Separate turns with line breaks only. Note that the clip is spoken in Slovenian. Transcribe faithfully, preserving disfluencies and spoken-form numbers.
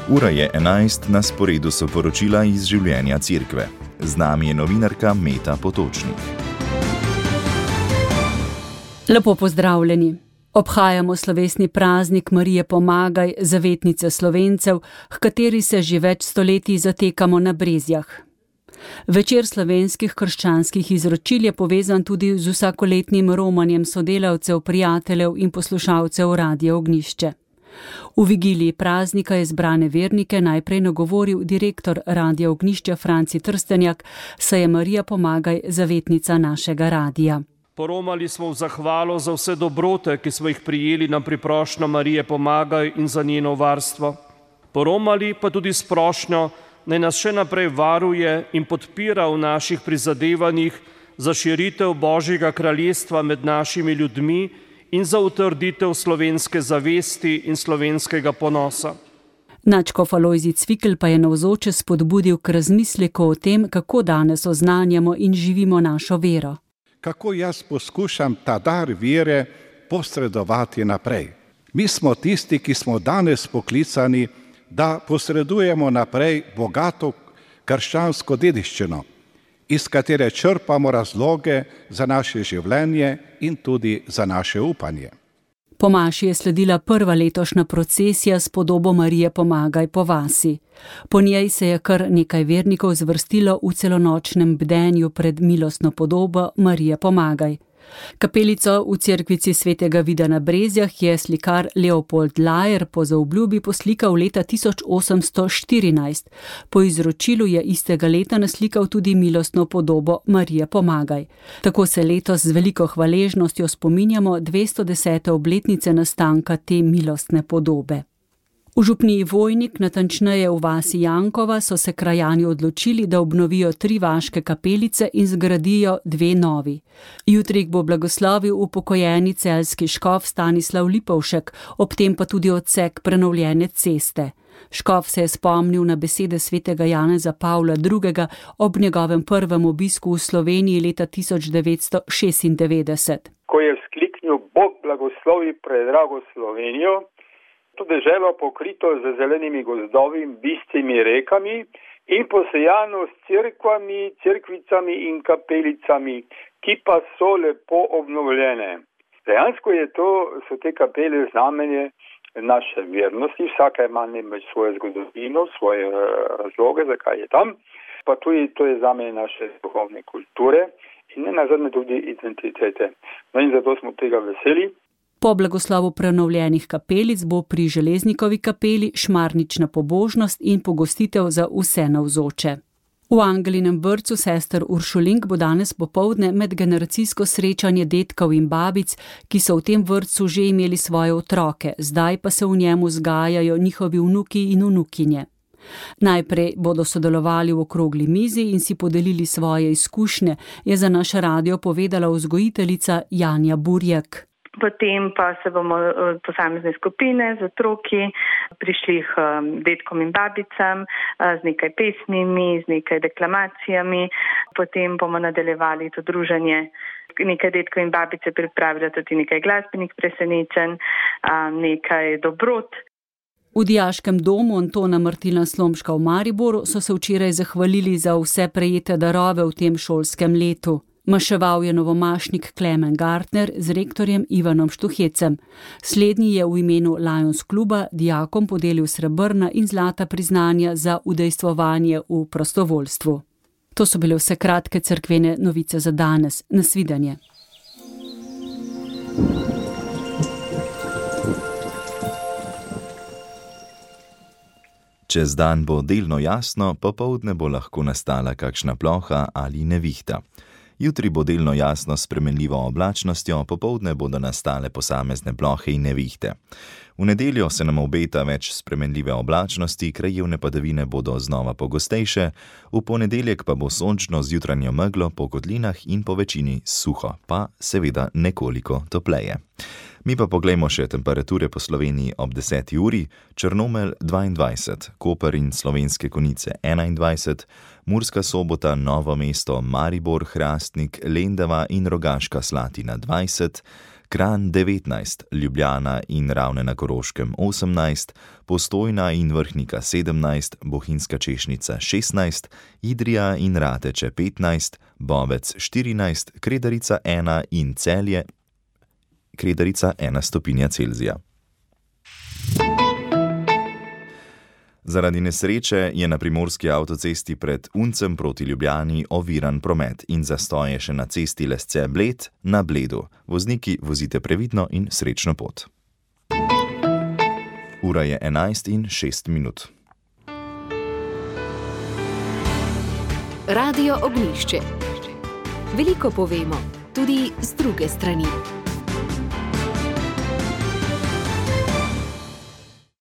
Ura je enajst, na sporedu so poročila iz življenja cerkve. Z nami je novinarka Meta Potočnik.
Lepo pozdravljeni. Obhajamo slovesni praznik Marije Pomagaj, zavetnice Slovencev, h kateri se že več stoletij zatekamo na Brezjah. Večer slovenskih krščanskih izročil je povezan tudi z vsakoletnim romanjem sodelavcev, prijateljev in poslušalcev Radia Ognjišče. V vigiliji praznika je zbrane vernike najprej nagovoril direktor Radia Ognjišče Franci Trstenjak, saj je Marija Pomagaj zavetnica našega radija.
Poromali smo v zahvalo za vse dobrote, ki smo jih prijeli na priprošnjo Marije Pomagaj in za njeno varstvo. Poromali pa tudi s prošnjo, naj nas še naprej varuje in podpira v naših prizadevanjih za širitev Božjega kraljestva med našimi ljudmi in za utrditev slovenske zavesti in slovenskega ponosa.
Nadškof Alojzij Cvikl pa je navzoče spodbudil k razmisleku o tem, kako danes oznanjamo in živimo našo vero.
Kako jaz poskušam ta dar vere posredovati naprej. Mi smo tisti, ki smo danes poklicani, da posredujemo naprej bogato krščansko dediščino, iz katere črpamo razloge za naše življenje in tudi za naše upanje.
Po maši je sledila prva letošnja procesija s podobo Marije Pomagaj po vasi. Po njej se je kar nekaj vernikov zvrstilo v celonočnem bdenju pred milostno podobo Marije Pomagaj. Kapelico v cerkvici svetega Vida na Brezjah je slikar Leopold Lajer po zaobljubi poslikal leta tisoč osemsto štirinajst. Po izročilu je istega leta naslikal tudi milostno podobo Marije Pomagaj. Tako se letos z veliko hvaležnostjo spominjamo dvesto desete obletnice nastanka te milostne podobe. V župniji Vojnik, natančneje v vasi Jankova, so se krajani odločili, da obnovijo tri vaške kapelice in zgradijo dve novi. Jutri bo blagoslovil upokojeni celjski škof Stanislav Lipovšek, ob tem pa tudi odsek prenovljene ceste. Škof se je spomnil na besede svetega Janeza Pavla drugega ob njegovem prvem obisku v Sloveniji leta tisoč devetsto šestindevetdeset.
Ko je vzkliknil Bog blagoslovi predrago Slovenijo, to deželo pokrito z zelenimi gozdovi in bistrimi rekami in posejano s cerkvami, cerkvicami in kapelicami, ki pa so lepo obnovljene. Dejansko je to, so te kapele znamenje naše vernosti, vsaka ima namreč svojo zgodovino, svoje razloge, zakaj je tam, pa tudi to je znamenje naše duhovne kulture in ne nazadnje tudi identitete. No in zato smo tega veseli.
Po blagoslovu prenovljenih kapelic bo pri Železnikovi kapeli šmarnična pobožnost in pogostitev za vse navzoče. V Angelinem vrtcu sester Uršulink bo danes popoldne medgeneracijsko srečanje dedkov in babic, ki so v tem vrtcu že imeli svoje otroke, zdaj pa se v njemu vzgajajo njihovi vnuki in vnukinje. Najprej bodo sodelovali v okrogli mizi in si podelili svoje izkušnje, je za naš radio povedala vzgojiteljica Janja Burjak.
Potem pa se bomo posamezne skupine z otroki prišli k dedkom in babicam z nekaj pesmimi, z nekaj deklamacijami. Potem bomo nadaljevali to druženje. Nekaj dedkov in babice pripravili tudi nekaj glasbenih presenečenj, nekaj dobrot.
V dijaškem domu Antona Martina Slomška v Mariboru so se včeraj zahvalili za vse prejete darove v tem šolskem letu. Maševal je novomašnik Klemen Gartner z rektorjem Ivanom Štuhecem. Slednji je v imenu Lions kluba dijakom podelil srebrna in zlata priznanja za udejstvovanje v prostovoljstvu. To so bile vse kratke cerkvene novice za danes. Nasvidenje.
Čez dan bo delno jasno, popoldne bo lahko nastala kakšna ploha ali nevihta. Jutri bo delno jasno s spremenljivo oblačnostjo, popoldne bodo nastale posamezne plohe in nevihte. V nedeljo se nam obeta več spremenljive oblačnosti, krajevne padavine bodo znova pogostejše, v ponedeljek pa bo sončno z jutranjo meglo po kotlinah in po večini suho, pa seveda nekoliko topleje. Mi pa poglejmo še temperature po Sloveniji ob deseti uri, Črnomelj dvaindvajset, Koper in Slovenske Konjice enaindvajset, Murska Sobota, Novo mesto, Maribor, Hrastnik, Lendava in Rogaška Slatina dvajset, Kranj devetnajst, Ljubljana in Ravne na Koroškem osemnajst, Postojna in Vrhnika sedemnajst, Bohinjska Češnica šestnajst, Idrija in Rateče petnajst, Bovec štirinajst, Kredarica ena in Celje, Kredarica ena stopinja Celzija. Zaradi nesreče je na primorski avtocesti pred Uncem proti Ljubljani oviran promet in zastoj je še na cesti Lesce-Bled na Bledu. Vozniki, vozite previdno in srečno pot. Ura je enajst in šest minut.
Radio Ognjišče. Veliko povemo, tudi z druge strani.